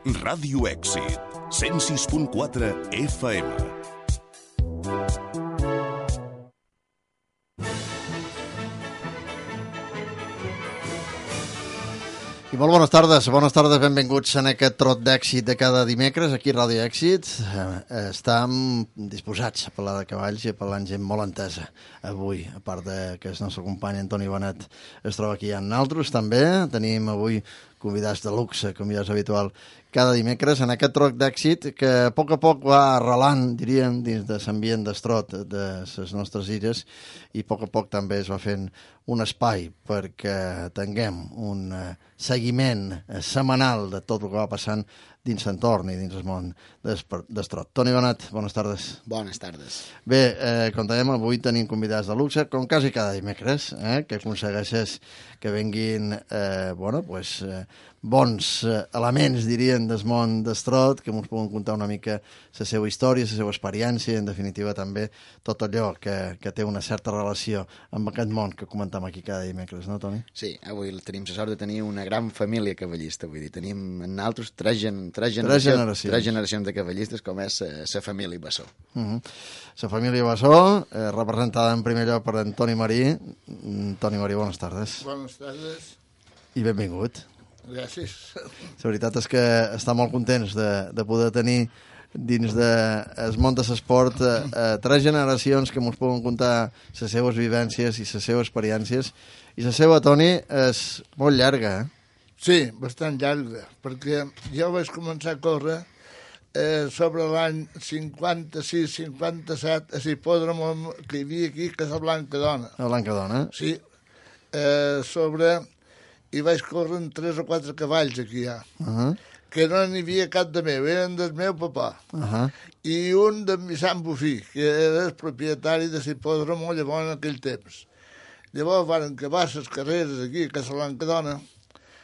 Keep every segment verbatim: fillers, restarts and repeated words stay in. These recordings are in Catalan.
Ràdio Èxit, cent sis punt quatre F M. I molt bones tardes, bones tardes, benvinguts en aquest trot d'èxit de cada dimecres aquí a Ràdio Èxit. Eh, estem disposats a parlar de cavalls i a parlar amb gent molt entesa avui, a part de que el nostre company Antoni Benet es troba aquí amb nosaltres també. Tenim avui convidats de luxe, com ja és habitual, cada dimecres en aquest trot d'èxit que a poc a poc va arrelant, diríem, dins de l'ambient d'estrot de les nostres illes, i a poc a poc també es va fent un espai perquè tinguem un seguiment setmanal de tot el que va passant dins l'entorn i dins el món d'estrot. Toni Benet, bones tardes. Bones tardes. Bé, eh, com dèiem, avui tenim convidats de luxe, com quasi cada dimecres, eh, que aconsegueixes que venguin eh, bueno, pues, eh, bons eh, elements, dirien, del món d'estrot, que ens poden contar una mica la seva història, la seva experiència, i en definitiva també tot allò que, que té una certa relació amb aquest món que comentem aquí cada dimecres, no, Toni? Sí, avui tenim la sort de tenir una gran família cavallista, vull dir, tenim en nosaltres tres, gen, tres, tres, generacions, generacions. tres generacions de cavallistes, com és la família Bassó. Uh -huh. La família Bassó, eh, representada en primer lloc per Antoni Marí. Toni Marí, bones tardes. Bones tardes. I benvingut. Gràcies. La veritat és que està molt contents de, de poder tenir dins del món de l'esport eh, eh, tres generacions que ens poden contar les seves vivències i les seves experiències. I la seva, Toni, és molt llarga, eh? Sí, bastant llarga, perquè jo vaig començar a córrer eh, sobre l'any cinquanta-sis cinquanta-set a l'hipòdrom que hi havia aquí, que és la Blanca Dona. La Blanca Dona. Sí, eh, sobre... i vaig córrer amb tres o quatre cavalls aquí ja, uh -huh. que no n'hi havia cap de meu, eren del meu papà. Uh -huh. I un de Vicent Bufí, que era el propietari de l'hipòdrom llavors en aquell temps. Llavors van acabar les carreres aquí, a Casa Blanca Dona.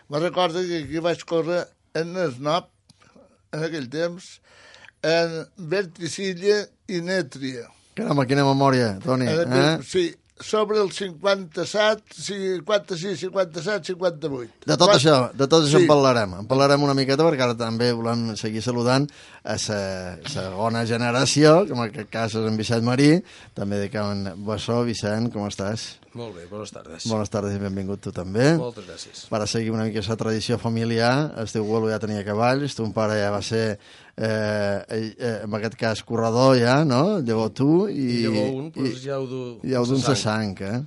Me recordo que aquí vaig córrer en Esnop, en aquell temps, en Verticilla i Nètria. Caramba, quina memòria, Toni. Aquell, eh? Sí, sobre el cinquanta-set, cinquanta-sis, cinquanta-set, cinquanta-vuit. De tot Quan... això, de tot això sí. en parlarem. En parlarem una miqueta perquè ara també volem seguir saludant a la segona generació, que en aquest cas és en Vicent Marí, també de Can Bassó. Vicent, com estàs? Molt bé, bones tardes. Bones tardes i benvingut tu també. Moltes gràcies. Per a seguir una mica la tradició familiar, el teu abuelo ja tenia cavalls, ton pare ja va ser, eh, eh, en aquest cas, corredor ja, no? Llavors tu i... I llavors un, doncs i, ja ho du... Ja ho du en sa sang, eh?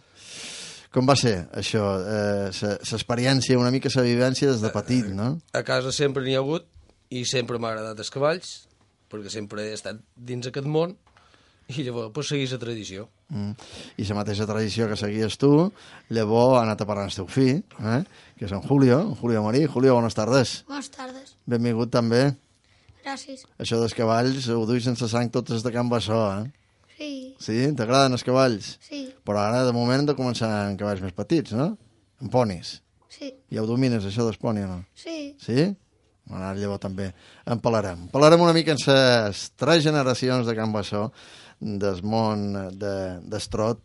Com va ser això, eh, l'experiència, una mica la vivència des de petit, no? A casa sempre n'hi ha hagut i sempre m'ha agradat els cavalls, perquè sempre he estat dins aquest món i llavors pues, seguir la tradició. Mm. I la mateixa tradició que seguies tu, llavors ha anat a parlar amb el teu fill, eh? Que és en Julio, en Julio Marí. Julio, bones tardes. Bones tardes. Benvingut també. Gràcies. Això dels cavalls ho duis sense sang tots els de Can Bassó, eh? Sí. Sí? T'agraden els cavalls? Sí. Però ara, de moment, hem de començar amb cavalls més petits, no? Amb ponis. Sí. Ja ho domines, això dels ponis, o no? Sí. Sí? Bueno, ara llavors també en parlarem. Parlarem una mica en les tres generacions de Can Bassó, del món d'estrot.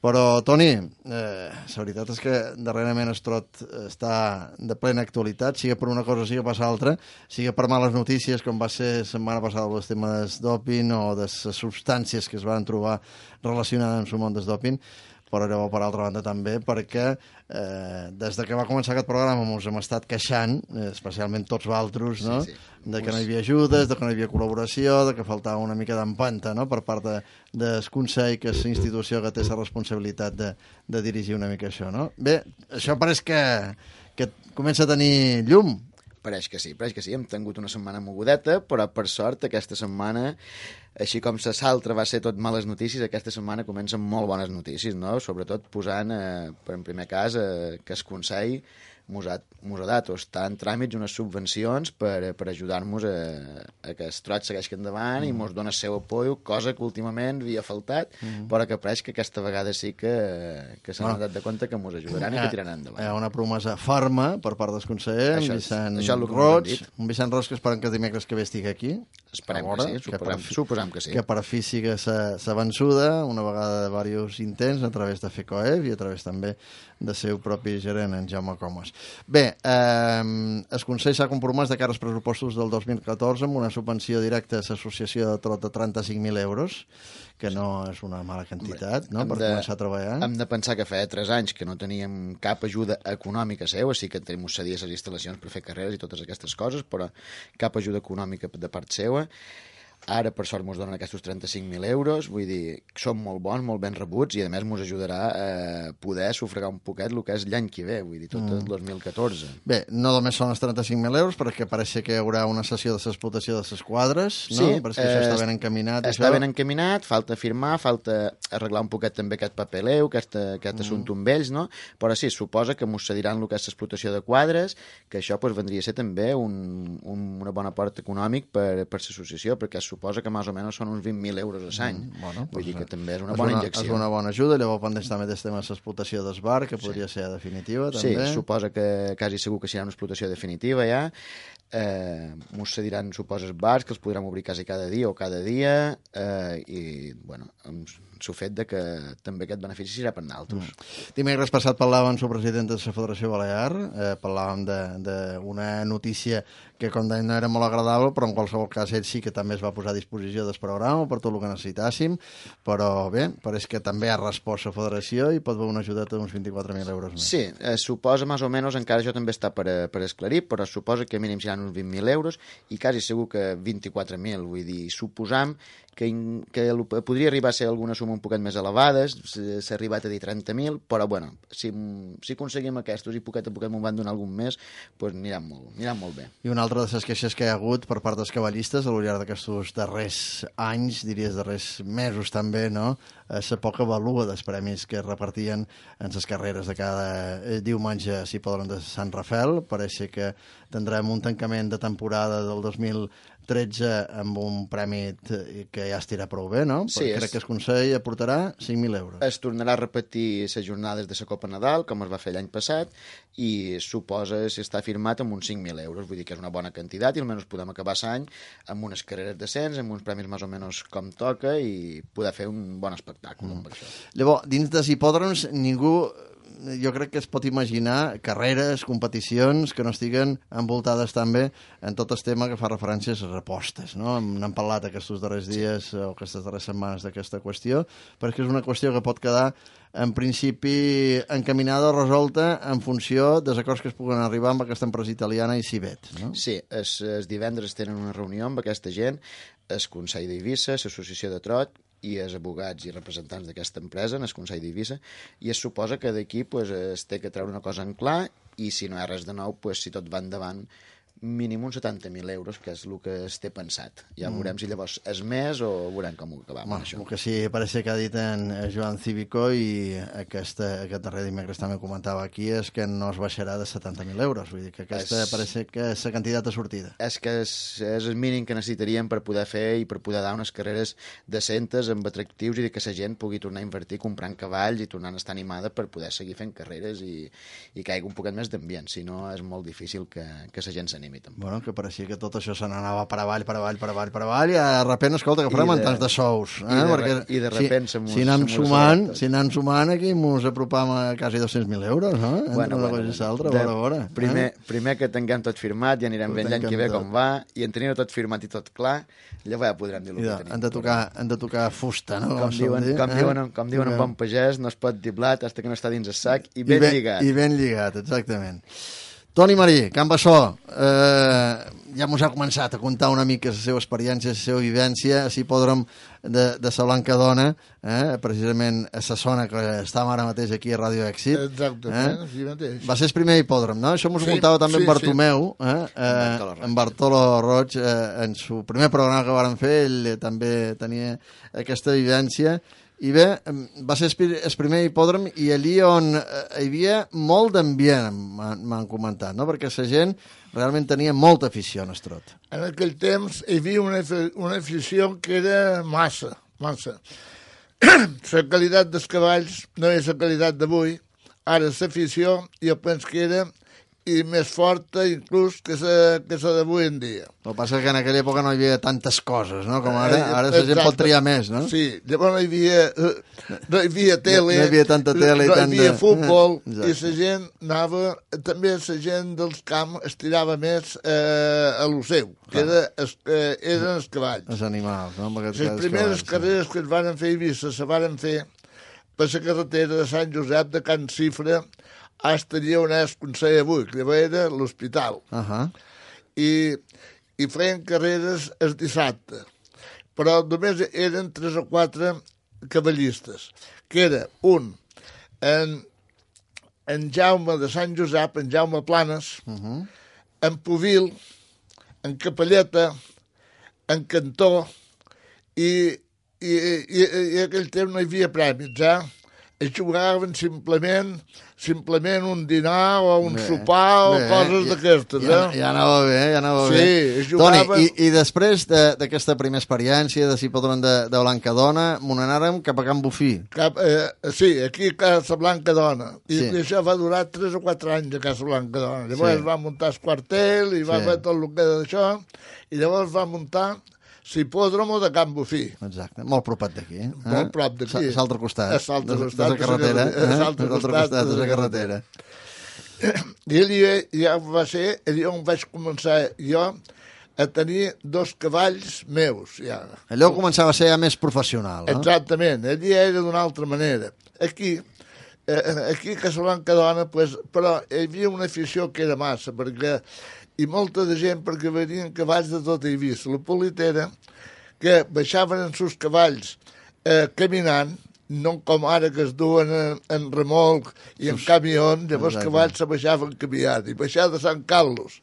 Però, Toni, eh, la veritat és que darrerament estrot està de plena actualitat, sigui per una cosa, sigui per l'altra, sigui per males notícies, com va ser la setmana passada el tema del doping o de les substàncies que es van trobar relacionades amb el món del doping, però llavors, per altra banda, també perquè eh, des de que va començar aquest programa ens hem estat queixant, eh, especialment tots vosaltres, no? Sí, sí. De que no hi havia ajudes, de que no hi havia col·laboració, de que faltava una mica d'empenta, no?, per part de, del Consell, que és la institució que té la responsabilitat de, de dirigir una mica això, no? Bé, això pareix que, que comença a tenir llum. Pareix que sí, pareix que sí. Hem tingut una setmana mogudeta, però per sort aquesta setmana, així com la l'altra va ser tot males notícies, aquesta setmana comencen molt bones notícies, no? Sobretot posant, eh, per en primer cas, eh, que el Consell mos ha, mos ha dat o està en tràmits unes subvencions per, per ajudar-nos a, a que el trot segueixi endavant mm. i mos dona el seu apoio, cosa que últimament havia faltat, mm. però que pareix que aquesta vegada sí que, que s'han bueno. dat de compte que mos ajudaran i que tiraran endavant. Hi ha una promesa ferma per part dels consellers, això, en Vicent això és el que Roig, un Vicent Roig que esperem que dimecres que ve estigui aquí. Esperem veure, que sí, que suposem, per fi- suposem que sí. que per fi siga sa, sa vençuda, una vegada de diversos intents, a través de FECOEF i a través també de seu propi gerent, en Jaume Comas. Bé, eh, el Consell s'ha compromès de cara als pressupostos del dos mil catorze amb una subvenció directa a l'associació de Trot de trenta-cinc mil euros, que no és una mala quantitat, no?, per de, començar a treballar. Hem de pensar que feia tres anys que no teníem cap ajuda econòmica seu, així que tenim uns cedir les instal·lacions per fer carreres i totes aquestes coses, però cap ajuda econòmica de part seva. Ara, per sort, ens donen aquests trenta-cinc mil euros, vull dir, són molt bons, molt ben rebuts, i a més ens ajudarà a poder sufragar un poquet el que és l'any que ve, vull dir, tot el dos mil catorze. Bé, no només són els trenta-cinc mil euros, perquè pareix que hi haurà una sessió de l'explotació de les quadres, no? Sí, Perquè això està ben encaminat. Està això... ben encaminat, falta firmar, falta arreglar un poquet també aquest papeleu, aquest, aquest mm. assumpte amb ells, no? Però sí, suposa que ens cediran el que és l'explotació de quadres, que això pues, vendria a ser també un, un, una bona part econòmic per, per l'associació, perquè suposa que més o menys són uns vint mil euros a l'any. Mm, bueno, Vull pues, dir que també és una és bona una, injecció. És una bona ajuda, llavors pendents també del tema de l'explotació del bar, que podria sí. ser definitiva, també. Sí, suposa que quasi segur que serà una explotació definitiva ja. Eh, mos cediran, suposa, els bars, que els podrem obrir quasi cada dia o cada dia, eh, i, bueno, amb el fet de que també aquest benefici serà per nosaltres. Mm. Dimecres passat parlàvem amb el president de la Federació Balear, eh, parlàvem d'una notícia que, com deia, no era molt agradable, però en qualsevol cas ell sí que també es va posar a disposició del programa per tot el que necessitàssim, però bé, pareix que també ha respost la Federació i pot haver una ajudeta d'uns vint-i-quatre mil euros més. Sí, eh, suposa més o menys, encara això també està per, per esclarir, però suposa que mínim seran uns vint mil euros i quasi segur que vint-i-quatre mil, vull dir, suposam que, que podria arribar a ser alguna suma un poquet més elevada, s'ha arribat a dir trenta mil, però bueno, si, si aconseguim aquests i poquet a poquet m'ho van donar algun més, doncs aniran molt, aniran molt bé. I una altra de les queixes que hi ha hagut per part dels cavallistes al llarg d'aquests darrers anys, diries darrers mesos també, no?, és la poca valua dels premis que es repartien en les carreres de cada diumenge, si poden, de Sant Rafel. Pareix que tindrem un tancament de temporada del dos mil tretze amb un premi que ja estirà prou bé, no? Sí, Perquè és... crec que el Consell aportarà cinc mil euros. Es tornarà a repetir les jornades de la Copa Nadal, com es va fer l'any passat, i suposa si està firmat amb uns cinc mil euros, vull dir que és una bona quantitat i almenys podem acabar l'any amb unes carreres decents, amb uns premis més o menys com toca i poder fer un bon espectacle mm. per això. Llavors, dins dels hipòdroms, ningú... jo crec que es pot imaginar carreres, competicions que no estiguen envoltades també en tot el tema que fa referència a les apostes, no? N'hem parlat aquests darrers dies o aquestes darreres setmanes d'aquesta qüestió, perquè és una qüestió que pot quedar en principi encaminada o resolta en funció dels acords que es puguen arribar amb aquesta empresa italiana i Cibet, no? Sí, es, es divendres tenen una reunió amb aquesta gent, el Consell d'Eivissa, l'Associació de Trot, i els abogats i representants d'aquesta empresa en el Consell d'Eivissa, i es suposa que d'aquí pues, es té que treure una cosa en clar i si no hi ha res de nou, pues, si tot va endavant, mínim uns setanta mil euros, que és el que es té pensat. Ja mm. veurem si llavors és més o veurem com ho acabam amb això. El que sí, pareix que ha dit en Joan Cívico i aquesta, aquest darrer dimecres també comentava aquí, és que no es baixarà de setanta mil euros. Vull dir que aquesta es... pareix que és la quantitat de sortida. És que és, és el mínim que necessitaríem per poder fer i per poder dar unes carreres decentes amb atractius i que la gent pugui tornar a invertir comprant cavalls i tornant a estar animada per poder seguir fent carreres i, i que hi hagi un poquet més d'ambient. Si no, és molt difícil que, que la gent s'animi. Bueno, que pareixia que tot això se n'anava per avall, per avall, per avall, per avall, i de repent, escolta, que farem en tants de sous. Eh? I, de, Perquè I de repent si, mos, si anem sumant, si anem sumant aquí mos apropam a quasi dos-cents mil euros, no? Entre bueno, una bueno, cosa i l'altra, a veure, a veure. Primer, eh? primer que tinguem tot firmat, ja anirem ben l'any que ve com va, i en tenir tot firmat i tot clar, llavors ja podrem dir el que tenim. Han de tocar, han de tocar fusta, no? Com, com diuen, dir, com eh? diuen, com diuen en bon pagès, no es pot dir blat fins que no està dins el sac, i ben I ben, lligat. I ben lligat, exactament. Toni Marí, Can Bassó, eh, ja mos ha començat a contar una mica la seva experiència, la seva vivència, a l'hipòdrom de, de la Blanca Dona, eh, precisament a la zona que estàvem ara mateix aquí a Ràdio Èxit. Exactament, eh? Sí mateix. Va ser el primer hipòdrom, no? Això mos ho sí, contava també sí, en Bartomeu, sí. eh, eh, en Bartolo Roig, eh, en el primer programa que varen fer, ell també tenia aquesta vivència. I bé, va ser el primer hipòdrom i allí on hi havia molt d'ambient, m'han comentat, no? Perquè la gent realment tenia molta afició en el trot. En aquell temps hi havia una, una afició que era massa, massa. La qualitat dels cavalls no és la qualitat d'avui. Ara l'afició jo penso que era i més forta inclús que la que la d'avui en dia. El que passa és que en aquella època no hi havia tantes coses, no? Com ara, ara la gent pot triar més, no? Sí, llavors no hi havia, no hi havia tele, no hi havia tanta tele i no hi tant de- havia futbol, Exacte. i la gent anava, també la gent dels camps estirava més eh, a lo seu, que era, es, eh, eren els cavalls. Els animals, no? Amb aquests Les cavalls, primeres sí. carreres que es van fer a Eivissa se van fer per la carretera de Sant Josep de Can Cifra fins allà on és Consell avui, que llavors era l'hospital. Ahà. I, i feien carreres el dissabte, però només eren tres o quatre cavallistes, que era un, en, en Jaume de Sant Josep, en Jaume Planes, uh -huh. en Puvil, en Capelleta, en Cantó, i, i, i, i aquell temps no hi havia prèmits, eh? Es jugaven simplement simplement un dinar o un Bé, sopar o bé, coses ja- d'aquestes, Ja, eh? ja anava bé, ja anava Sí, bé. es jugaven- Toni, i, i després de- d'aquesta primera experiència de Cipodron de, de Blancadona, m'ho anàrem cap a Can Bufí. Cap, eh, sí, aquí a Casa Blanca Dona. I Sí. sí. això va durar tres o quatre anys a Casa Blanca Dona. Llavors Sí. sí. va muntar el quartel i va Sí. fer tot el que era d'això, i llavors va muntar l'hipòdromo de Can Bufí. Exacte, molt propet d'aquí. Eh? Molt prop d'aquí. A l'altre costat. A l'altre de- costat De la carretera. de la- a eh? l'altre De l'altre costat costat de de la la carretera. I allà ja va ser allà on vaig començar jo a tenir dos cavalls meus, ja. Allò començava a ser ja més professional, no? Exactament, allí era d'una altra manera. Aquí, eh, aquí a Casablanca Dona, pues, però hi havia una afició que era massa, perquè, i molta de gent, perquè venien cavalls de tot Eivissa. La politera, que baixaven en sus cavalls eh, caminant, no com ara que es duen en, en remolc i en camió, llavors Exacte. cavalls se baixaven caminant, i baixar de Sant Carlos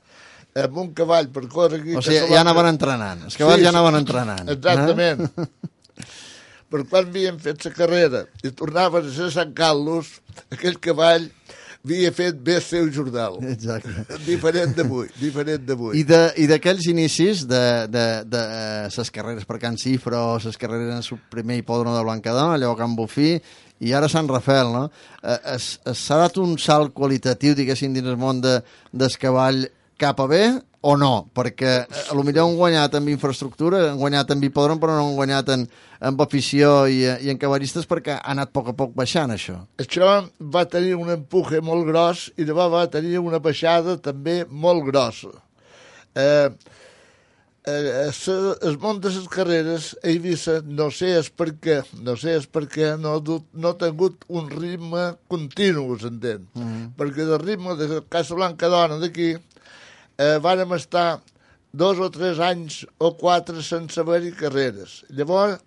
amb un cavall per córrer aquí... a O sigui, ja Casablanca- anaven entrenant. Els cavalls Sí, ja sí. anaven entrenant. Exactament. Eh? Però quan havíem fet la carrera i tornaven a ser Sant Carlos, aquell cavall havia fet bé el seu jornal. Exacte. Diferent d'avui, diferent d'avui. I de- i d'aquells inicis de, de, de eh, ses carreres per Can Cifra o ses carreres en el primer hipòdromo de Blancadona, allò a Can Bufí, i ara Sant Rafel, no? Eh, es- es- S'ha dat un salt qualitatiu, diguéssim, dins el món de, del cavall cap a bé o no? Perquè eh, a lo millor han guanyat amb infraestructura, han guanyat amb hipòdrom, però no han guanyat en, amb afició i, i en cavallistes perquè ha anat a poc a poc baixant, això. Això va tenir un empuje molt gros i llavors va tenir una baixada també molt grossa. Eh, eh, el món de les carreres a Eivissa, no sé és per què, no sé és per què no, ha dut, no ha tingut un ritme continu, s'entén. Mm -hmm. Perquè del ritme de Casablanca Dona d'aquí eh, vàrem estar dos o tres anys o quatre sense haver-hi carreres. Llavors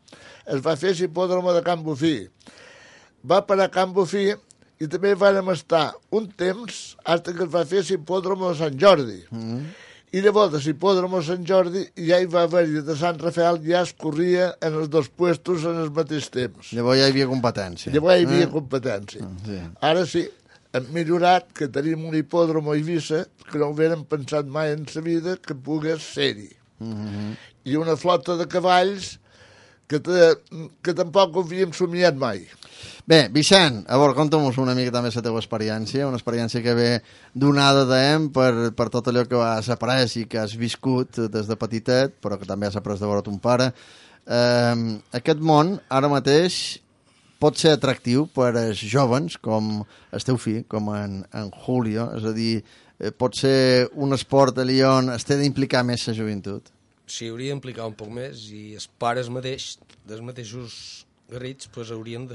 es va fer l'hipòdromo de Can Bufí. Va parar Can Bufí i també vàrem estar un temps fins que es va fer l'hipòdromo de Sant Jordi. Mm. I llavors de l'hipòdromo de Sant Jordi ja hi va haver-hi de Sant Rafael, ja es corria en els dos puestos en el mateix temps. Llavors ja hi havia competència. Llavors hi havia Eh? competència. Sí. Ara sí, hem millorat, que tenim un hipòdromo a Eivissa que no haguérem pensat mai en sa vida que pogués ser-hi. Mm -hmm. I una flota de cavalls que, te, que tampoc ho havíem somiat mai. Bé, Vicent, a veure, conta'm una mica també la teva experiència, una experiència que ve donada d'em per, per tot allò que has après i que has viscut des de petitet, però que també has après de veure ton pare. Eh, aquest món, ara mateix, pot ser atractiu per als jovens, com el teu fill, com en, en Julio, és a dir, eh, pot ser un esport allà on es té d'implicar més la joventut. S'hi hauria d'implicar un poc més i els pares mateix, dels mateixos garrits, pues, haurien de-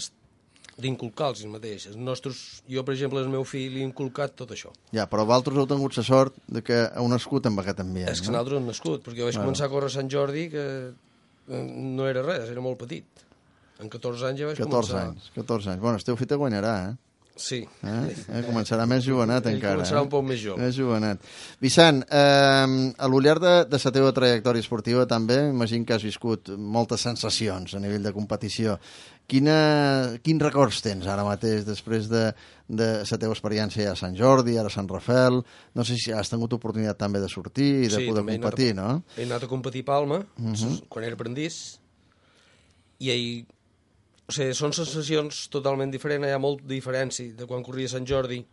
d'inculcar-los mateix. Els nostres, jo, per exemple, al meu fill li he inculcat tot això. Ja, però vosaltres heu tingut la sort de que heu nascut amb aquest ambient, És que no? nosaltres hem nascut, perquè jo vaig Claro. començar a córrer a Sant Jordi que eh, no era res, era molt petit. En catorze anys ja vaig catorze començar... anys, catorze anys. Bueno, el teu fill te guanyarà, eh? Sí. eh? eh? Començarà més jovenet Ell encara. començarà eh? un poc més jove. Més jovenet. Vicent, eh, a lo llarg de, de la teva trajectòria esportiva també, imagino que has viscut moltes sensacions a nivell de competició. Quina, quins records tens ara mateix després de, de la teva experiència ja a Sant Jordi, ara a Sant Rafel? No sé si has tingut oportunitat també de sortir i de Sí, poder també he anat a- competir, no? He anat a competir a Palma, uh -huh. quan era aprendís, i ahir... O sigui, són sensacions totalment diferents, hi ha molt diferència de quan corria a Sant Jordi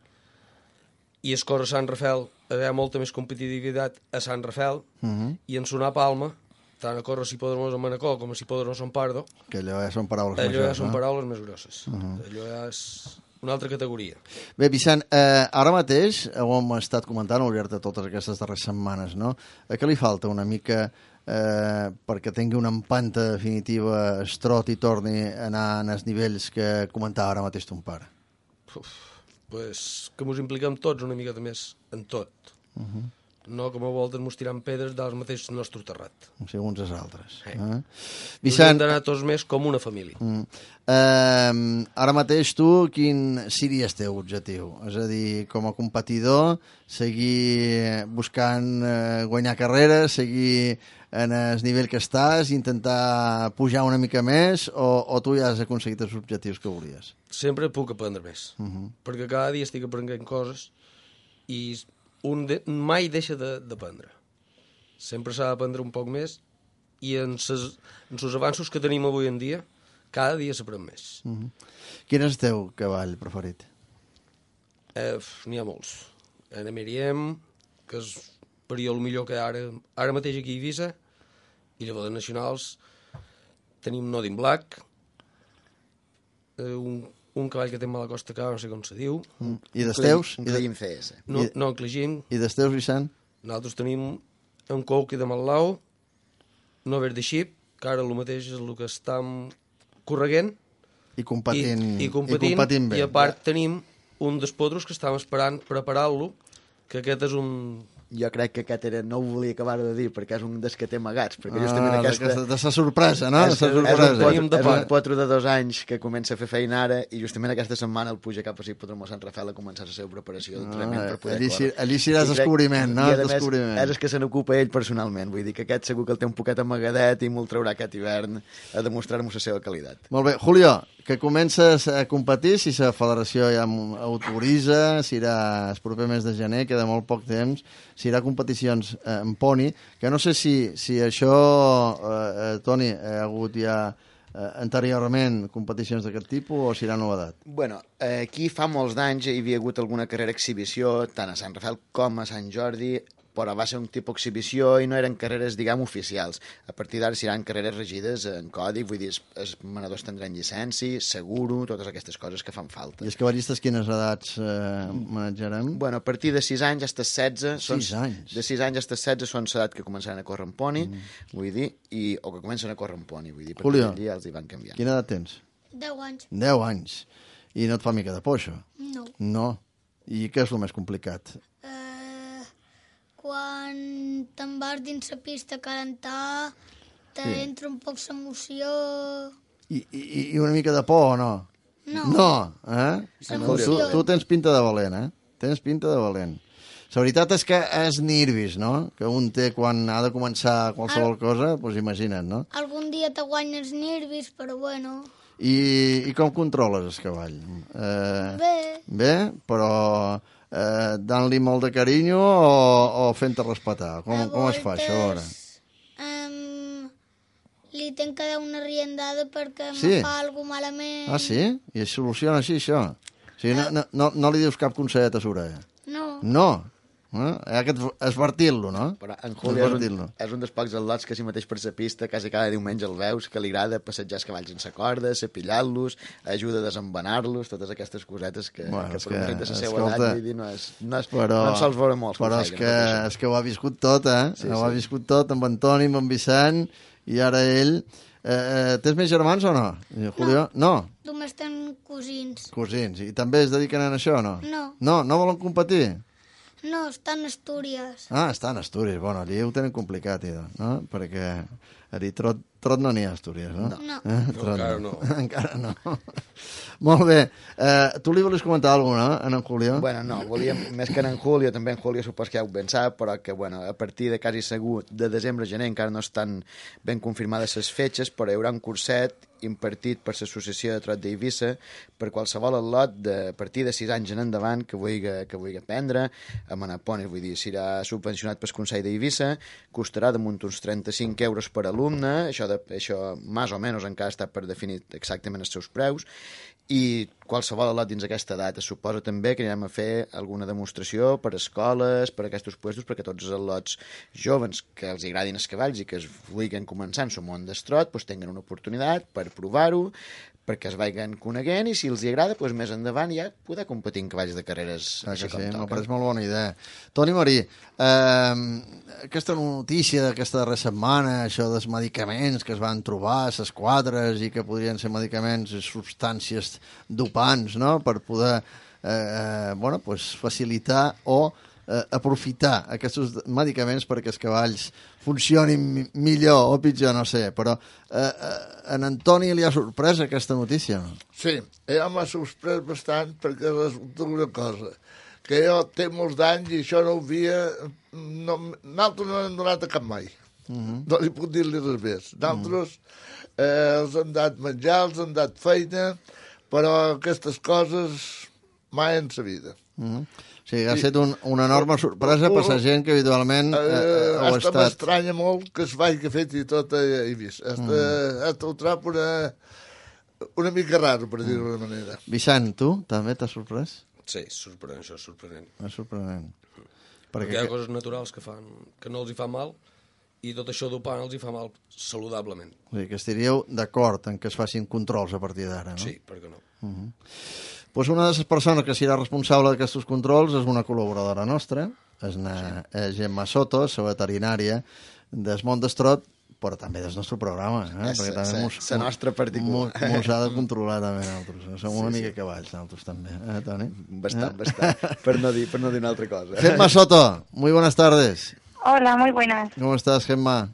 i es corre a Sant Rafel, hi ha molta més competitivitat a Sant Rafel, uh -huh. i en sonar Palma, tant a córrer si Podremos a Manacor com a si Podremos a Sant Pardo, que allò ja són paraules allò majors, ja són no? paraules més grosses. Uh -huh. Allò ja és una altra categoria. Bé, Vicent, eh, ara mateix, ho hem estat comentant al llarg de totes aquestes darreres setmanes, no? A què li falta una mica eh, perquè tingui una empanta definitiva, es trot i torni a anar en els nivells que comentava ara mateix ton pare? Uf, pues que mos impliquem tots una miqueta més en tot. Uh -huh. No com a voltes mos tirant pedres del mateix nostre terrat. Segons els altres. Eh. Eh? Vicent... Hem d'anar tots més com una família. Mm. Eh, ara mateix tu, quin seria el teu objectiu? És a dir, com a competidor, seguir buscant eh, guanyar carreres, seguir en el nivell que estàs, intentar pujar una mica més, o, o tu ja has aconseguit els objectius que volies? Sempre puc aprendre més, uh -huh. perquè cada dia estic aprenent coses i un de, mai deixa d'aprendre. Sempre s'ha d'aprendre un poc més i en ses, en els avanços que tenim avui en dia, cada dia s'aprèn més. Uh -huh. Quin és el teu cavall preferit? Eh, N'hi ha molts. En Emeriem, que és per jo el millor que ara, ara mateix aquí a Eivissa, i llavors de nacionals tenim Nodin Black, eh, un, un cavall que té mala costa cara, no sé com se diu. Mm. I dels teus? Un Clegim C S. No, no, en Clegim. I dels teus, Vicent? Nosaltres tenim un Couqui de Matlau, no Verde Xip, que ara el mateix és el que estem correguent. I competint, i, i, competint, i competint bé. I a part tenim un dels potros que estàvem esperant preparar-lo, que aquest és un... Jo crec que aquest era, no ho volia acabar de dir, perquè és un dels que té amagats, perquè ah, justament aquesta... De, de sa sorpresa, no? És, de sa sorpresa. És, un potro, és un potro de dos anys que comença a fer feina ara i justament aquesta setmana el puja cap a Podremos a Sant Rafel a començar la seva preparació d'entrenament ah, per poder allí, córrer. Allí seràs descobriment, no? I a més, descobriment. és el que se n'ocupa ell personalment, vull dir que aquest segur que el té un poquet amagadet i me'l traurà aquest hivern a demostrar-nos la seva qualitat. Molt bé. Julio, que comences a competir, si la federació ja autoritza, si irà el proper mes de gener, queda molt poc temps, si irà a competicions eh, en poni, que no sé si, si això, eh, eh, Toni, ha hagut ja eh, anteriorment competicions d'aquest tipus o si serà novedat? Bueno, eh, aquí fa molts d'anys hi havia hagut alguna carrera exhibició, tant a Sant Rafel com a Sant Jordi, però va ser un tipus exhibició i no eren carreres, diguem, oficials. A partir d'ara seran carreres regides en codi, vull dir, els, els manadors tindran llicència, seguro, totes aquestes coses que fan falta. I els cavallistes quines edats eh, manejarem? Bueno, a partir de sis anys fins a setze... sis anys? De sis anys fins a setze són l'edat que començaran a córrer en poni, mm. vull dir, i, o que comencen a córrer en poni, vull dir, perquè Julio, allà els hi van canviant. Quina edat tens? deu anys. deu anys. I no et fa mica de por, això? No. No. I què és el més complicat? Uh, quan te'n vas dins la pista a calentar, t'entra sí. un poc l'emoció... I, i, I una mica de por o no? No. No, eh? Tu, tu tens pinta de valent, eh? Tens pinta de valent. La veritat és que és nervis, no? Que un té quan ha de començar qualsevol Al... cosa, doncs imagina't, no? Algun dia te guanyes nervis, però bueno... I, i com controles el cavall? Eh, bé. Bé, però eh, dant-li molt de carinyo o, o fent-te respetar? Com, voltes, com es fa això ara? Um, li tenc que dar una riendada perquè sí? me fa alguna malament. Ah, sí? I es soluciona així, això? O sigui, no, no, no li dius cap consellet a l'orella? No. No? Eh? Hi ha que esvertir-lo, no? Però en Juli és un, és un dels pocs atlots que si mateix per la pista quasi cada diumenge el veus, que li agrada passejar els cavalls sense corda, cepillar-los, ajuda a desembanar-los, totes aquestes cosetes que, bueno, que per que, un de la seva escolta, edat, vull dir, no, és, no, és, però, no en sols veure molts. Però és que, és que ho ha viscut tot, eh? Sí, ho sí. ha viscut tot amb Antoni, amb en Vicent, i ara ell... Eh, tens més germans o no? Julio? No. No. Només tenen cosins. Cosins. I també es dediquen a això o no? No. No? No volen competir? No, estan a Astúries. Ah, estan a Astúries. Bueno, allí ho tenen complicat, idò, no? Perquè allí trot, trot no n'hi ha a Astúries, no? No. Eh? no encara no. Encara no. Molt bé. Eh, tu li volies comentar alguna cosa, no, en en Julio? Bueno, no, volíem, més que en en Julio, també en Julio supos que ja ho ben sap, però que, bueno, a partir de quasi segur de desembre a gener encara no estan ben confirmades les fetges, però hi haurà un curset impartit per l'Associació de Trot d'Eivissa per qualsevol atlot de a partir de sis anys en endavant que vulgui, que vulgui aprendre a manar ponis, vull dir, serà subvencionat pel Consell d'Eivissa, costarà damunt uns trenta-cinc euros per alumne, això, de, això més o menys encara està per definir exactament els seus preus, i qualsevol al·lot dins aquesta edat. Es suposa també que anirem a fer alguna demostració per escoles, per aquests puestos, perquè tots els al·lots joves que els agradin els cavalls i que es vulguin començar en el món d'estrot doncs tinguin una oportunitat per provar-ho, perquè es vagin coneguent i si els hi agrada, doncs més endavant ja poder competir en cavalls de carreres ah, així que com sí, toca. me pareix molt bona idea. Toni Marí, eh, aquesta notícia d'aquesta darrera setmana, això dels medicaments que es van trobar a les quadres i que podrien ser medicaments i substàncies dopants, no?, per poder eh, eh, bueno, pues facilitar o eh, aprofitar aquests medicaments perquè els cavalls funcionin millor o pitjor, no sé, però eh, eh, en Antoni li ha sorprès aquesta notícia? Sí, ja m'ha sorprès bastant perquè resulta una cosa, que jo té molts d'anys i això no ho havia... No, nosaltres no hem donat a cap mai. Uh -huh. No li puc dir-li res més. Nosaltres eh, els hem dat menjar, els hem dat feina, però aquestes coses mai en sa vida. Uh -huh. O sigui, ha estat un, una enorme sorpresa per la gent que habitualment eh, eh, ho ha hasta estat. m'estranya molt que es vagi fet i tot he vist. Hasta, mm. hasta ho trobo una, una mica raro, per dir-ho d'una manera. Vicent, tu també t'has sorprès? Sí, sorprenent, això és sorprenent. És sorprenent. Perquè hi ha coses naturals que fan que no els hi fa mal i tot això dopant els hi fa mal saludablement. O sigui, que estaríeu d'acord en que es facin controls a partir d'ara, no? Sí, per què no? Uh -huh. Pues una de les persones que serà responsable d'aquests controls és una col·laboradora nostra, és una sí. Gemma Soto, la veterinària del món d'Estrot, però també del nostre programa. Eh? És Perquè també mos, la nostra particular. Mos ha de controlar també nosaltres. Som sí, una mica sí. cavalls nosaltres també, eh, Toni? Bastant, eh? bastant, per no dir, per no dir una altra cosa. Gemma Soto, muy buenas tardes. Hola, muy buenas. ¿Cómo estás, Gemma?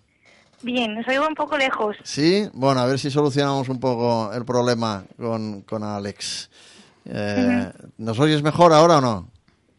Bien, os oigo un poco lejos. Sí, bueno, a ver si solucionamos un poco el problema con, con Alex. Eh, uh-huh. ¿Nos oyes mejor ahora o no?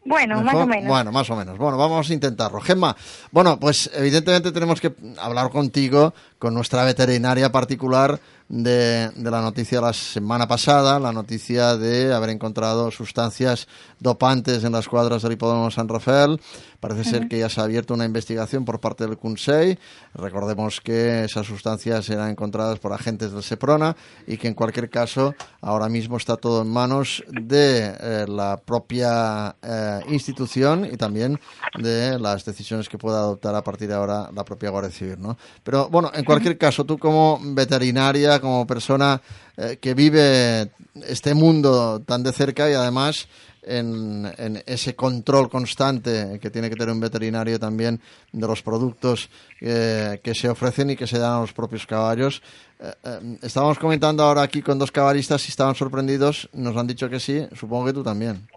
Bueno, ¿Mejor? más o menos. Bueno, más o menos. Bueno, vamos a intentarlo. Gemma, bueno, pues evidentemente tenemos que hablar contigo, con nuestra veterinaria particular, de, de la noticia de la semana pasada, la noticia de haber encontrado sustancias dopantes en las cuadras del hipódromo San Rafael. Parece uh-huh. ser que ya se ha abierto una investigación por parte del Consell. Recordemos que esas sustancias eran encontradas por agentes del Seprona y que en cualquier caso ahora mismo está todo en manos de eh, la propia eh, institución y también de las decisiones que pueda adoptar a partir de ahora la propia Guardia Civil, ¿no? Pero bueno, en cualquier caso, tú como veterinaria, como persona eh, que vive este mundo tan de cerca y además en, en ese control constante que tiene que tener un veterinario también de los productos eh, que se ofrecen y que se dan a los propios caballos. Eh, eh, estábamos comentando ahora aquí con dos caballistas si estaban sorprendidos, nos han dicho que sí, supongo que tú también.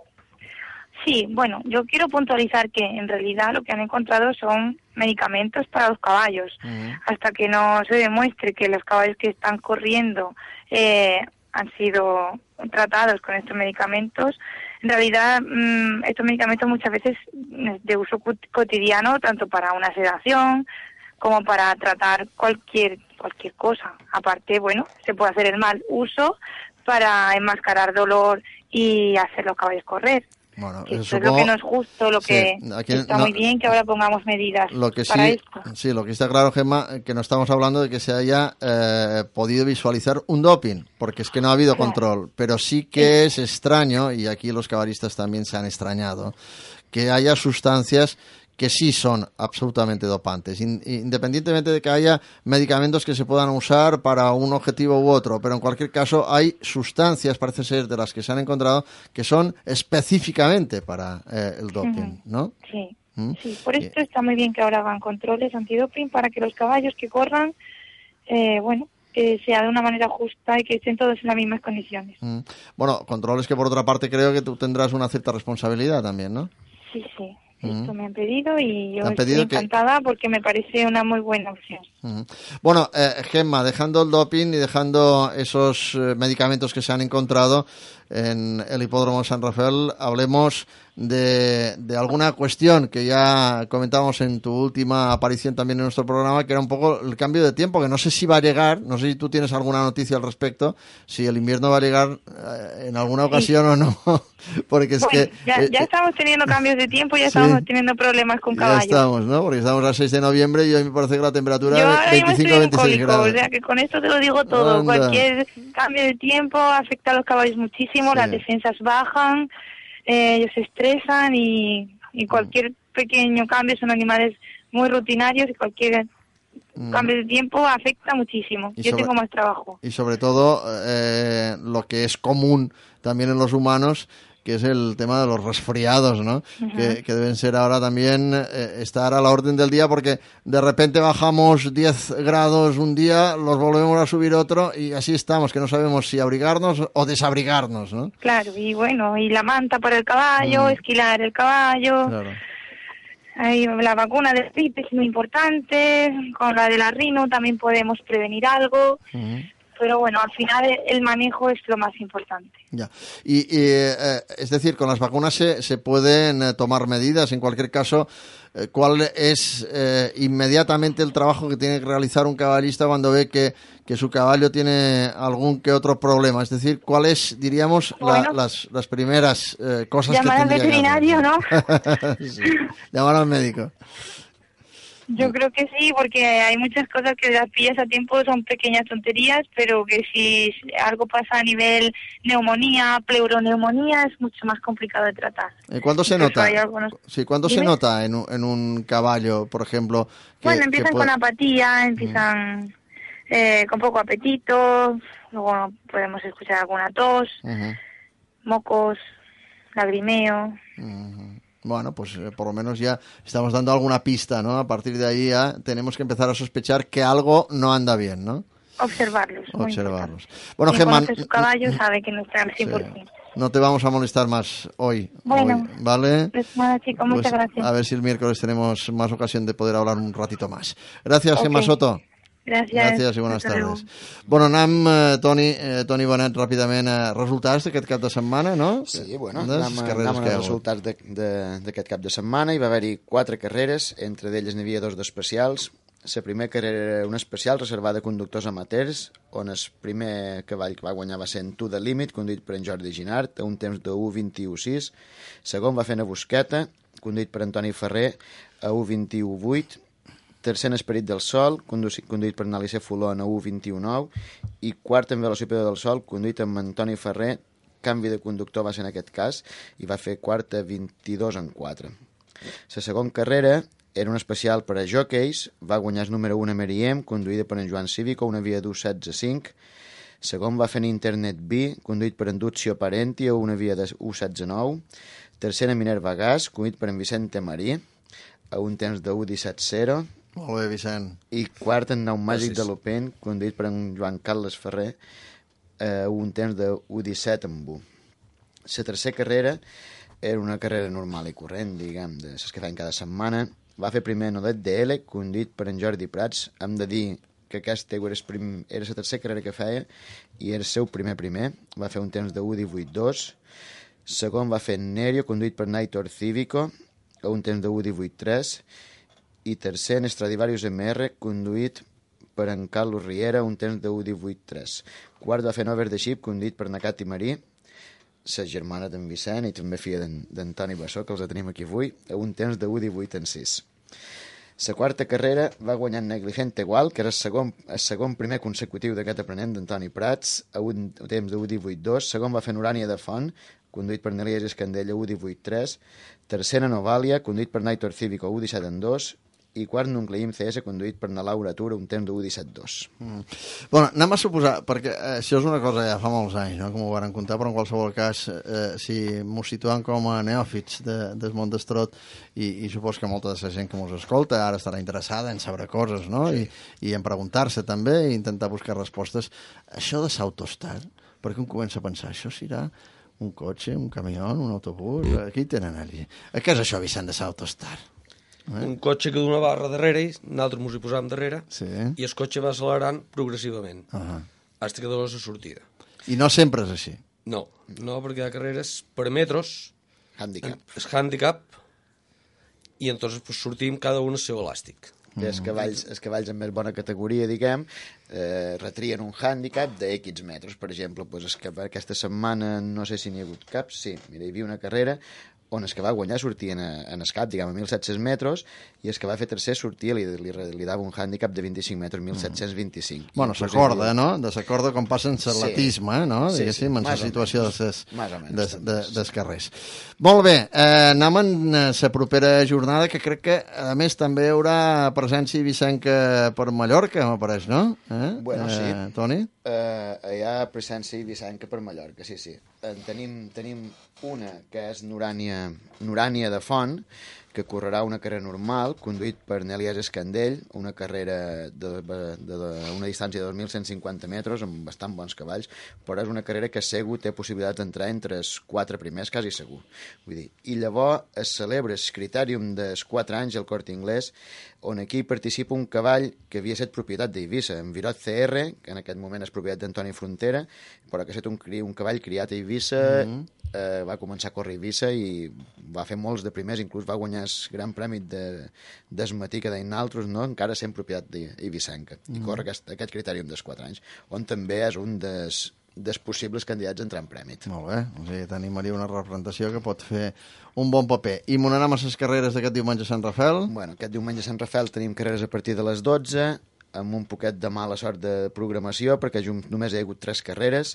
Sí, bueno, yo quiero puntualizar que en realidad lo que han encontrado son medicamentos para los caballos. Uh-huh. Hasta que no se demuestre que los caballos que están corriendo eh, han sido tratados con estos medicamentos, en realidad mmm, estos medicamentos muchas veces de uso cotidiano, tanto para una sedación como para tratar cualquier cualquier cosa. Aparte, bueno, se puede hacer el mal uso para enmascarar dolor y hacer los caballos correr. Bueno, eso supongo, es lo que no es justo, lo sí, que aquí está no, muy bien que ahora pongamos medidas lo que para sí, esto. Sí, lo que está claro, Gemma, que no estamos hablando de que se haya eh, podido visualizar un doping, porque es que no ha habido claro. control, pero sí que sí. es extraño, y aquí los caballistas también se han extrañado, que haya sustancias que sí son absolutamente dopantes, independientemente de que haya medicamentos que se puedan usar para un objetivo u otro, pero en cualquier caso hay sustancias, parece ser, de las que se han encontrado, que son específicamente para eh, el doping, ¿no? Sí, ¿Mm? sí, por esto está muy bien que ahora hagan controles antidoping para que los caballos que corran, eh, bueno, que sea de una manera justa y que estén todos en las mismas condiciones. Mm. Bueno, controles que por otra parte creo que tú tendrás una cierta responsabilidad también, ¿no? Sí, sí. Esto me han pedido y yo estoy pedido encantada que... porque me parece una muy buena opción. Uh-huh. Bueno, eh, Gemma, dejando el doping y dejando esos eh, medicamentos que se han encontrado en el hipódromo San Rafael, hablemos de, de alguna cuestión que ya comentábamos en tu última aparición también en nuestro programa, que era un poco el cambio de tiempo, que no sé si va a llegar, no sé si tú tienes alguna noticia al respecto, si el invierno va a llegar eh, en alguna ocasión sí. o no, porque es bueno, que... Ya, eh, ya estamos teniendo cambios de tiempo, ya sí. estamos teniendo problemas con caballos. Ya estamos, ¿no? Porque estamos a seis de noviembre y hoy me parece que la temperatura Yo ahora mismo estoy en veintiséis cólico, grados. o sea que con esto te lo digo todo. Anda. Cualquier cambio de tiempo afecta a los caballos muchísimo, Sí. las defensas bajan, eh, ellos se estresan y, y cualquier pequeño cambio, son animales muy rutinarios y cualquier Mm. cambio de tiempo afecta muchísimo. Y Yo sobre- tengo más trabajo. Y sobre todo, eh, lo que es común también en los humanos, que es el tema de los resfriados, ¿no? que, que deben ser ahora también eh, estar a la orden del día, porque de repente bajamos diez grados un día, los volvemos a subir otro y así estamos, que no sabemos si abrigarnos o desabrigarnos, ¿no? Claro, y bueno, y la manta para el caballo, Mm. esquilar el caballo. Claro. Ahí, la vacuna de gripe es muy importante, con la de la rino también podemos prevenir algo, Ujú. pero bueno, al final el manejo es lo más importante. Ya. Y, y, eh, es decir, con las vacunas se, se pueden eh, tomar medidas. En cualquier caso, eh, ¿cuál es eh, inmediatamente el trabajo que tiene que realizar un caballista cuando ve que, que su caballo tiene algún que otro problema? Es decir, ¿cuáles, diríamos, la- Bueno. las, las primeras eh, cosas Llamar que al tendría que hacer? veterinario, ¿no? Sí. Llamar al médico. Yo creo que sí, porque hay muchas cosas que las pillas a tiempo, son pequeñas tonterías, pero que si algo pasa a nivel neumonía, pleuroneumonía, es mucho más complicado de tratar. Eh, ¿Cuándo se Incluso nota? hay algunos- Sí, ¿cuándo se Dime. nota en un, en un caballo, por ejemplo? que- Bueno, que empiezan puede- con apatía, empiezan eh, con poco apetito, luego podemos escuchar alguna tos, Ujú. mocos, lagrimeo. Ujú. Bueno, pues eh, por lo menos ya estamos dando alguna pista, ¿no? A partir de ahí ya tenemos que empezar a sospechar que algo no anda bien, ¿no? Observarlos. muy Observarlos. importante. Bueno, Quien Gemma, conoce su caballo sabe que no está al sí, cien por ciento. no te vamos a molestar más hoy, Bueno. hoy, ¿vale? Pues nada, chicos, muchas Pues gracias. a ver si el miércoles tenemos más ocasión de poder hablar un ratito más. Gracias, Ok. Gemma Soto. Gracias. Gràcies i bones Hasta luego. tardes. Bueno, anem, eh, Toni, eh, Toni Bonet, ràpidament a resultats d'aquest cap de setmana, no? Sí, bueno, Des anem, a- carreres anem que hi ha als hagut. resultats de- de- d'aquest cap de setmana. Hi va haver-hi quatre carreres, entre d'elles n'hi havia dos d'especials. La primera carrera era una especial reservada a conductors amateurs, on el primer cavall que va guanyar va ser en To The Limit, conduït per en Jordi Ginart, a un temps de u vint u sis. Segon va fer una Busqueta, conduït per Antoni Ferrer, a u vint u vuit. Tercer en Esperit del Sol, conduït, conduït per Nalice Folon, a u vint u nou. I quart en Velocípede del Sol, conduït amb Antoni Ferrer. Canvi de conductor va ser en aquest cas, i va fer quart a vint-i-dos en quatre. La segona carrera era un especial per a jockeys, va guanyar el número un a Meriem, conduïda per en Joan Cívico, una via d'u setze cinc. Segon va fer en Internet B, conduït per en Duccio Parenti, a una via d'u setze nou. Tercer en Minerva Gas, conduït per en Vicente Marí, a un temps de u disset zero. Molt bé, Vicent. I quart en Nau Màgic Gràcies. de l'Open, conduït per en Joan Carles Ferrer, a un temps de u disset amb u. La tercera carrera era una carrera normal i corrent, diguem, de les que feien cada setmana. Va fer primer Nodet de L, conduït per en Jordi Prats. Hem de dir que aquesta era, el prim... era la tercera carrera que feia i era el seu primer primer. Va fer un temps de u divuit dos. Segon va fer Nerio, conduït per Naitor Cívico, a un temps de u divuit tres. I tercer en Stradivarius M R, conduït per en Carlos Riera, un temps de u divuit tres. Quart va fer Nover de Xip, conduït per Nacat i Marí, la germana d'en Vicent i també filla d'Antoni Bassó, que els tenim aquí avui, a un temps de u divuit en sis. La quarta carrera va guanyar Negligente Igual, que era el segon, el segon primer consecutiu d'aquest aprenent d'Antoni Prats, a un temps de u divuit dos. Segon va fer Urània de Font, conduït per Nelies Escandella, u divuit tres. Tercera Novàlia, conduït per Naitor Cívico, u disset en dos. I quart Nucleim C S, conduït per na Laura Tura, un temps de u disset dos. Mm. Bueno, anem a suposar, perquè eh, això és una cosa ja fa molts anys, no?, com ho van contar, però en qualsevol cas, eh, si m'ho situem com a neòfits de, del món d'estrot, i, i supos que molta de la gent que mos escolta ara estarà interessada en saber coses, no?, sí. I, i en preguntar-se també, i intentar buscar respostes. Això de s'autostar, perquè un comença a pensar, això serà un cotxe, un camió, un autobús, aquí tenen allí. Què és això, Vicent, de s'autostar? Eh? Un cotxe que d'una barra darrere, nosaltres mos hi posàvem darrere, Sí. i el cotxe va accelerant progressivament, Uh -huh. fins que dona la sortida. I no sempre és així. No, no, perquè hi ha carreres per metros, Handicap. és handicap, i entonces pues, sortim cada un el seu elàstic. I els cavalls, els cavalls amb més bona categoria, diguem, eh, retrien un hàndicap de X metres. Per exemple, pues, es que aquesta setmana no sé si n'hi ha hagut cap. Sí, mira, hi havia una carrera on el que va guanyar sortia en, en escap, diguem, a mil set-cents metres, i el que va fer tercer sortia, li, li, li dava un hàndicap de vint-i-cinc metres, mil set-cents vint-i-cinc. Mm. Bueno, s'acorda, no? De s'acorda com passa en l'atletisme, sí. no? Sí, Diguéssim, sí, en la situació dels de, de, de, de carrers. Molt bé, eh, anem en la propera jornada, que crec que, a més, també hi haurà presència ibicenca per Mallorca, m'apareix, no? Eh? Bueno, sí. Eh, Toni? Uh, hi ha presència ibicenca per Mallorca, sí, sí. En tenim, tenim una que és Nurània, Nurània de Font, que correrà una carrera normal, conduït per Nelies Escandell, una carrera de, de, de, de una distància de dos mil cent cinquanta metres, amb bastant bons cavalls, però és una carrera que segur té possibilitat d'entrar entre els quatre primers, quasi segur. Vull dir, i llavors es celebra el critèrium dels quatre anys al Corte Inglés, on aquí participa un cavall que havia estat propietat d'Eivissa, en Virot C R, que en aquest moment és propietat d'Antoni Frontera, però que ha estat un, un cavall criat a Eivissa, mm-hmm. eh, va començar a córrer a Eivissa i va fer molts de primers, inclús va guanyar el Gran Premi de, d'Esmatí, que deien altres, no? Encara sent propietat d'Eivissenca, mm-hmm. i corre aquest, aquest critèrium dels quatre anys, on també és un dels dels possibles candidats a entrar en prèmit. Molt bé, o sigui, t'animaria una representació que pot fer un bon paper. I m'onarem a les carreres d'aquest diumenge a Sant Rafel? Bueno, aquest diumenge a Sant Rafel tenim carreres a partir de les dotze, amb un poquet de mala sort de programació, perquè només hi ha hagut tres carreres,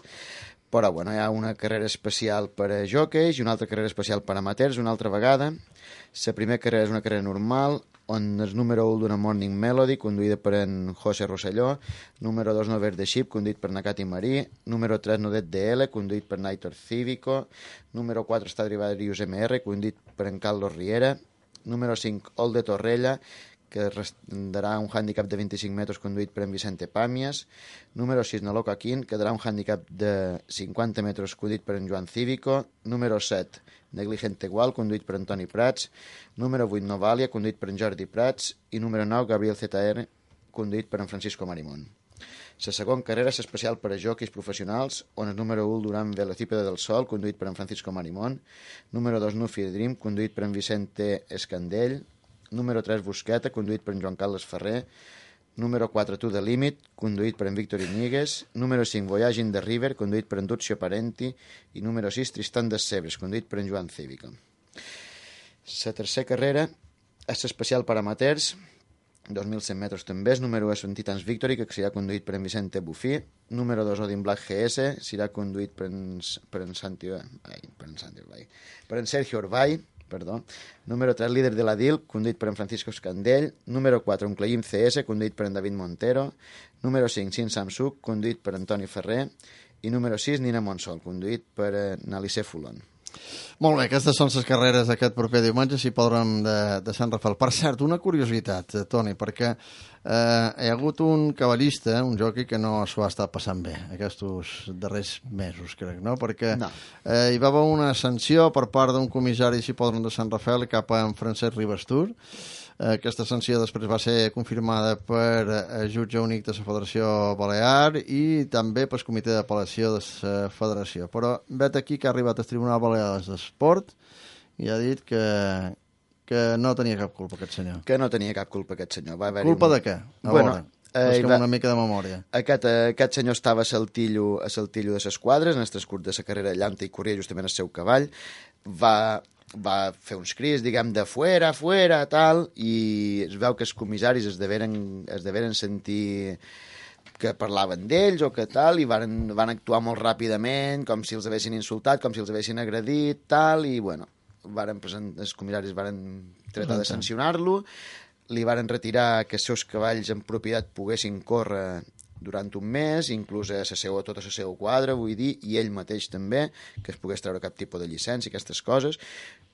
però bueno, hi ha una carrera especial per a jockeys i una altra carrera especial per a amateurs, una altra vegada. La primera carrera és una carrera normal, on el número u d'una Morning Melody, conduïda per en José Rosselló, número dos Nover de Ship, conduït per Nakati Marí, número tres Nodet de L, conduït per Naitor Cívico, número quatre Stradivarius M R, conduït per en Carlos Riera, número cinc Ol de Torrella, que darà un hàndicap de vint-i-cinc metres conduït per en Vicente Pàmies, número sis Naloca Quint, que darà un hàndicap de cinquanta metres conduït per en Joan Cívico, número set Negligente Gual, conduït per Antoni Prats, número vuit Novalia, conduït per en Jordi Prats, i número nou Gabriel Z R, conduït per en Francisco Marimón. La segona carrera és especial per a jockeys professionals, on el número u Durant Velocípede del Sol, conduït per en Francisco Marimón, número dos Nufi Dream, conduït per en Vicente Escandell, número tres Busqueta, conduït per en Joan Carles Ferrer, número quatre To The Limit, conduït per en Víctor Iñiguez, número cinc Voyage in the River, conduït per en Duccio Parenti, i número sis Tristan des Cebres, conduït per en Joan Cívico. La tercera carrera és especial per amateurs, dos mil cent metres també, el número u és en Titans Victory, que serà conduït per en Vicente Bufí, número dos Odin Black G S, serà conduït per en, per en Santi, ai, per en Santi, ai, per en Sergio Orbay, perdó. Número tres, Líder de la D I L, conduït per en Francisco Escandell. Número quatre, Uncleïm C S, conduït per en David Montero. Número cinc, Sin Samsung, conduït per Antoni Ferrer. I número sis, Nina Monsol, conduït per en Alice Fulon. Molt bé, aquestes són les carreres d'aquest proper diumenge, si podrem de, de Sant Rafel. Per cert, una curiositat, Toni, perquè eh, hi ha hagut un cavallista, un jockey, que no s'ho ha estat passant bé aquests darrers mesos, crec, no? Perquè no. Eh, hi va haver una sanció per part d'un comissari, si podrem, de Sant Rafel cap a en Francesc Ribastur. Aquesta sanció després va ser confirmada per el jutge únic de la Federació Balear i també pel comitè d'apel·lació de la Federació. Però vet aquí que ha arribat al Tribunal Balear d'Esport i ha dit que, que no tenia cap culpa aquest senyor. Que no tenia cap culpa aquest senyor. Va culpa un... de què? A bueno, veure, eh, va... una mica de memòria. Aquest, aquest senyor estava a Saltillo, a Saltillo de les quadres, en el transcurs de la carrera llanta i corria justament el seu cavall. Va... va fer uns crits, diguem, de fuera, fuera, tal, i es veu que els comissaris es deveren, es deveren sentir que parlaven d'ells o que tal, i van, van actuar molt ràpidament, com si els haguessin insultat, com si els haguessin agredit, tal, i, bueno, varen present, els comissaris varen tratar de sancionar-lo, li varen retirar que els seus cavalls en propietat poguessin córrer durant un mes, inclús a la seva, tota la seva quadra, vull dir, i ell mateix també, que es pogués treure cap tipus de llicència, aquestes coses,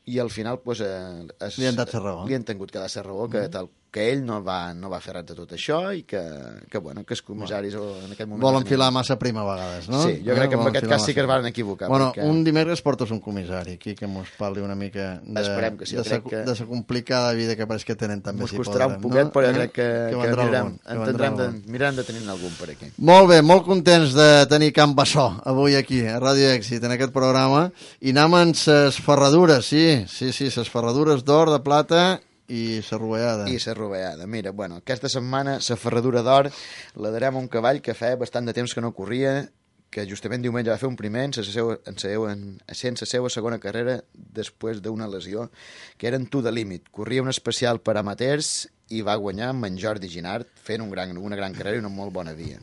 i al final pues, eh, es, li han dat la raó. Li han tingut que dar la raó, que, tal, que ell no va, no va fer res de tot això i que, que, bueno, que els comissaris bueno, en aquest moment... Volen filar massa prima a vegades, no? Sí, jo crec eh? que en aquest cas sí que es van equivocar. Bueno, perquè... un dimecres portes un comissari aquí que mos parli una mica de, que sí, de, sa, que... de sa complicada vida que pareix que tenen també. Mos si costarà podrem, un poquet, no? però jo crec que, que, que mirarem, algun, entendrem de, mirarem de tenir algun per aquí. Molt bé, molt contents de tenir Can Bassó avui aquí, a Ràdio Èxit, en aquest programa, i anem amb ses ferradures, sí, sí, sí, ses ferradures d'or, de plata i la rovellada. I la rovellada. Mira, bueno, aquesta setmana la ferradura d'or la darem a un cavall que feia bastant de temps que no corria, que justament diumenge va fer un primer en la seva, en la seva, en la seva segona carrera després d'una lesió, que era en To The Limit. Corria un especial per amateurs i va guanyar amb en Jordi Ginard, fent un gran, una gran carrera i una molt bona via.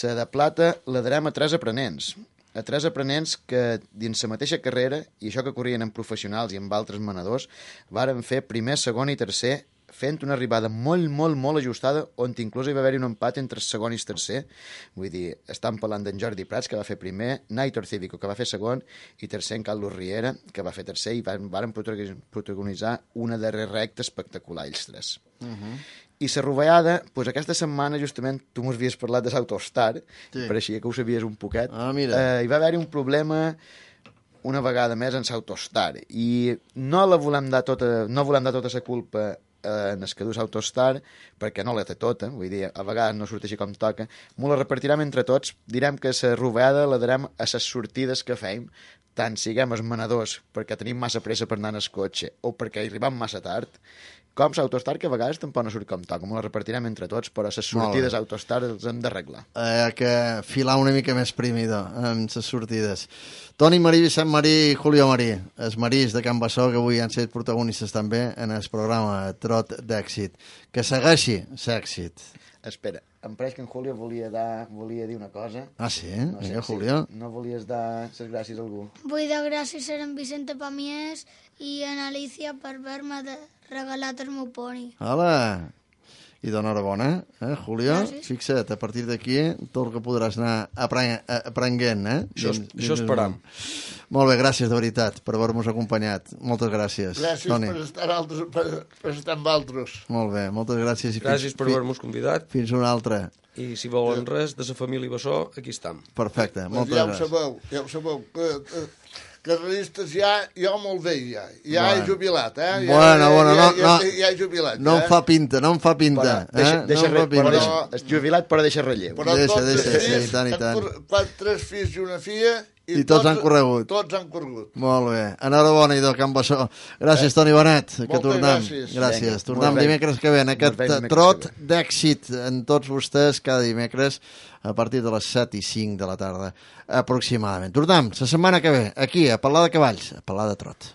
La de plata la darem a tres aprenents, a tres aprenents que dins la mateixa carrera, i això que corrien amb professionals i amb altres manadors, varen fer primer, segon i tercer, fent una arribada molt, molt, molt ajustada, on inclús hi va haver-hi un empat entre el segon i el tercer. Vull dir, estan parlant d'en Jordi Prats, que va fer primer, Naitor Cívico, que va fer segon, i tercer en Carlos Riera, que va fer tercer, i van, van protagonitzar una darrera recta espectacular, ells tres. Uh -huh. I la rovellada, doncs aquesta setmana, justament, tu m'ho havies parlat de l'Autostar, sí. Pareixia que ho sabies un poquet. Ah, mira. Eh, hi va haver-hi un problema una vegada més en l'Autostar, i no la volem dar tota, no volem dar tota la culpa en el que dus Autostar, perquè no la té tota, vull dir, a vegades no surt així com toca, m'ho la repartirem entre tots, direm que la rovellada la darem a les sortides que feim, tant siguem els manadors perquè tenim massa pressa per anar en el cotxe o perquè arribam massa tard, com l'Autostar, que a vegades tampoc no surt com toca, m'ho la repartirem entre tots, però les sortides Autostar els hem d'arreglar. Hi ha que filar una mica més prímida amb les sortides. Toni Marí, Vicent Marí i Julio Marí, els Marís de Can Bassó, que avui han estat protagonistes també en el programa Trot d'Èxit. Que segueixi l'èxit. Espera, em pareix que en Julio volia, dar, volia dir una cosa. Ah, sí? No sé, Vinga, Julio. Sí, no volies dar les gràcies a algú? Vull dar gràcies a en Vicente Pamies i a en Alicia per haver-me regalat el meu poni. Hola! I d'enhorabona, eh, Julio? Gràcies. Fixa't, a partir d'aquí, tot el que podràs anar apren aprenent, eh? Això, Dins, això esperam. Molt bé, gràcies, de veritat, per haver-nos acompanyat. Moltes gràcies, Gràcies Toni. per estar, altres, per, per estar amb altres. Molt bé, moltes gràcies. I Gràcies fins, per haver-nos convidat. Fins una altra. I si volen res de la família Bassó, aquí estem. Perfecte, Pues moltes ja ho gràcies. sabeu, ja ho sabeu. Que, que, carreristes ja, jo molt bé, ja. Ja Bueno. he jubilat, eh? Ja, Bueno, bueno, ja, no- ja, no- ja, ja he jubilat. No eh? em fa pinta, no em fa pinta. Però deixa, eh? deixa, no em fa re, però pinta. deixa, és jubilat però deixa relleu. Però Deixa, tots deixa, els sí, fills, i tant, i han tant. cor- Quatre, tres fills i una filla... I tots han corregut. Tots han corregut. Molt bé. Enhorabona, idò, Can Bassó. Gràcies, Toni Benet, que Moltes tornem. gràcies. Gràcies. Vinga, Tornem molt bé. dimecres que ve en aquest Molt bé, dimecres trot que ve. d'èxit en tots vostès cada dimecres a partir de les set i cinc de la tarda aproximadament. Tornem la setmana que ve aquí a parlar de cavalls, a parlar de trot.